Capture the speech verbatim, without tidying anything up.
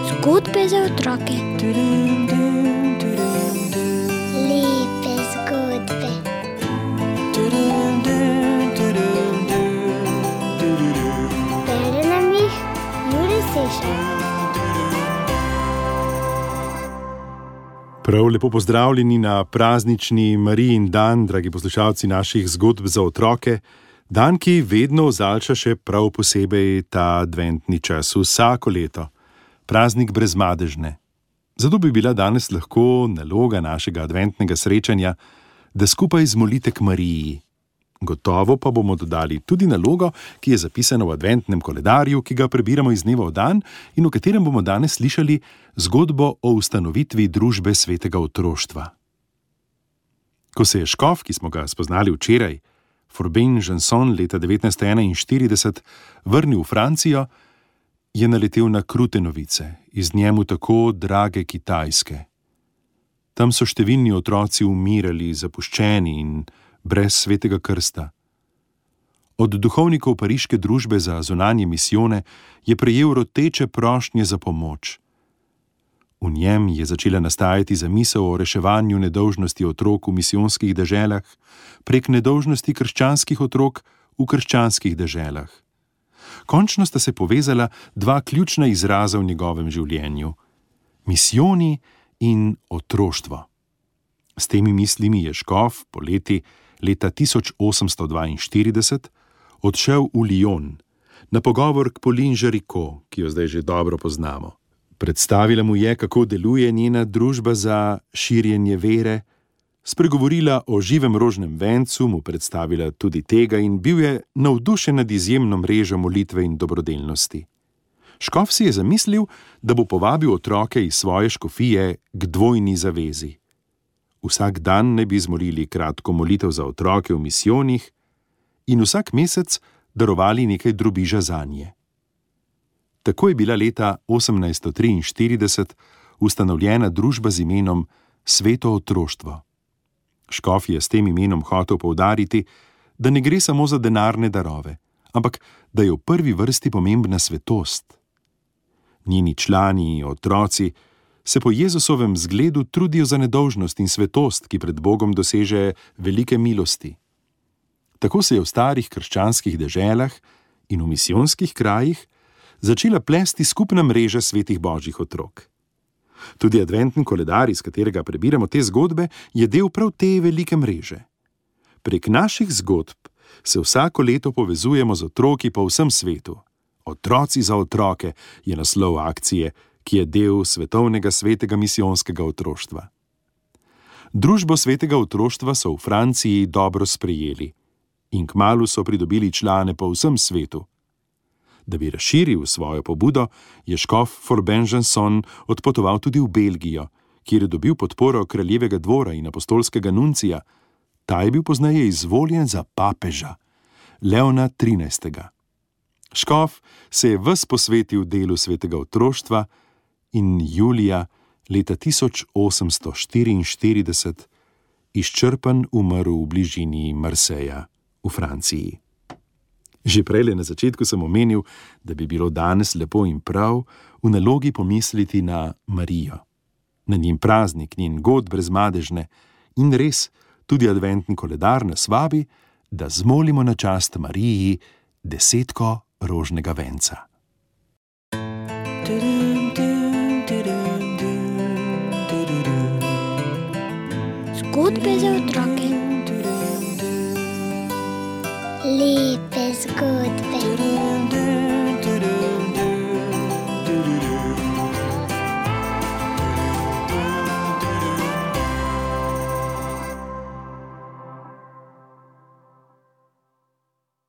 Zgodbe za otroke. Lepe zgodbe. Bere nam jih Jure Sešar. Prav lepo pozdravljeni na praznični Marijin dan, dragi poslušalci naših zgodb za otroke. Dan, ki vedno ozaljša še prav posebej ta adventni čas, vsako leto. Praznik brezmadežne. Zato bi bila danes lahko naloga našega adventnega srečanja, da skupaj zmolite k Mariji. Gotovo pa bomo dodali tudi nalogo, ki je zapisana v adventnem koledarju, ki ga prebiramo iz dneva v dan in v katerem bomo danes slišali zgodbo o ustanovitvi družbe svetega otroštva. Ko se je škof, ki smo ga spoznali včeraj, Forbin Janson leta devetnajststo enainštirideset, vrnil v Francijo, je naletel na krute novice, iz njemu tako drage Kitajske. Tam so številni otroci umirali, zapuščeni in brez svetega krsta. Od duhovnikov pariške družbe za zunanje misijone je prejel roteče prošnje za pomoč. V njem je začela nastajati zamisel o reševanju nedolžnosti otrok v misijonskih deželah prek nedolžnosti krščanskih otrok v krščanskih deželah. Končno sta se povezala dva ključna izraza v njegovem življenju: misijoni in otroštvo. S temi mislimi je škof poleti leta tisoč osemsto dvainštirideset odšel v Lyon na pogovor k Pauline Jaricot, ki jo zdaj že dobro poznamo. Predstavila mu je, kako deluje njena družba za širjenje vere, spregovorila o živem rožnem vencu, mu predstavila tudi tega in bil je navdušen nad izjemno mrežo molitve in dobrodelnosti. Škof si je zamislil, da bo povabil otroke iz svoje škofije k dvojni zavezi. Vsak dan ne bi zmolili kratko molitev za otroke v misijonih in vsak mesec darovali nekaj drobiža zanje. Tako je bila leta osemnajststo triinštirideset ustanovljena družba z imenom Sveto otroštvo. Škof je s tem imenom hotel poudariti, da ne gre samo za denarne darove, ampak da je v prvi vrsti pomembna svetost. Njeni člani, otroci, se po Jezusovem zgledu trudijo za nedolžnost in svetost, ki pred Bogom doseže velike milosti. Tako se je v starih krščanskih deželah in v misijonskih krajih začela plesti skupna mreža svetih božjih otrok. Tudi adventni koledar, iz katerega prebiramo te zgodbe, je del prav te velike mreže. Prek naših zgodb se vsako leto povezujemo z otroki po vsem svetu. Otroci za otroke je naslov akcije, ki je del svetovnega svetega misijonskega otroštva. Družbo svetega otroštva so v Franciji dobro sprejeli in kmalu so pridobili člane po vsem svetu. Da bi razširil svojo pobudo, je škof Forbin Janson odpotoval tudi v Belgijo, kjer je dobil podporo kraljevega dvora in apostolskega nuncija. Ta je bil pozneje izvoljen za papeža, Leona trinajstega. Škof se je ves posvetil delu svetega otroštva in julija leta tisoč osemsto štiriinštirideset izčrpan umrl v bližini Marseja v Franciji. Že prejle na začetku sem omenil, da bi bilo danes lepo in prav v nalogi pomisliti na Marijo, na njen praznik, njen god brezmadežne in res tudi adventni koledar nas vabi, da zmolimo na čast Mariji desetko rožnega venca. Zgodbe za otroke. Lepe zgodbe.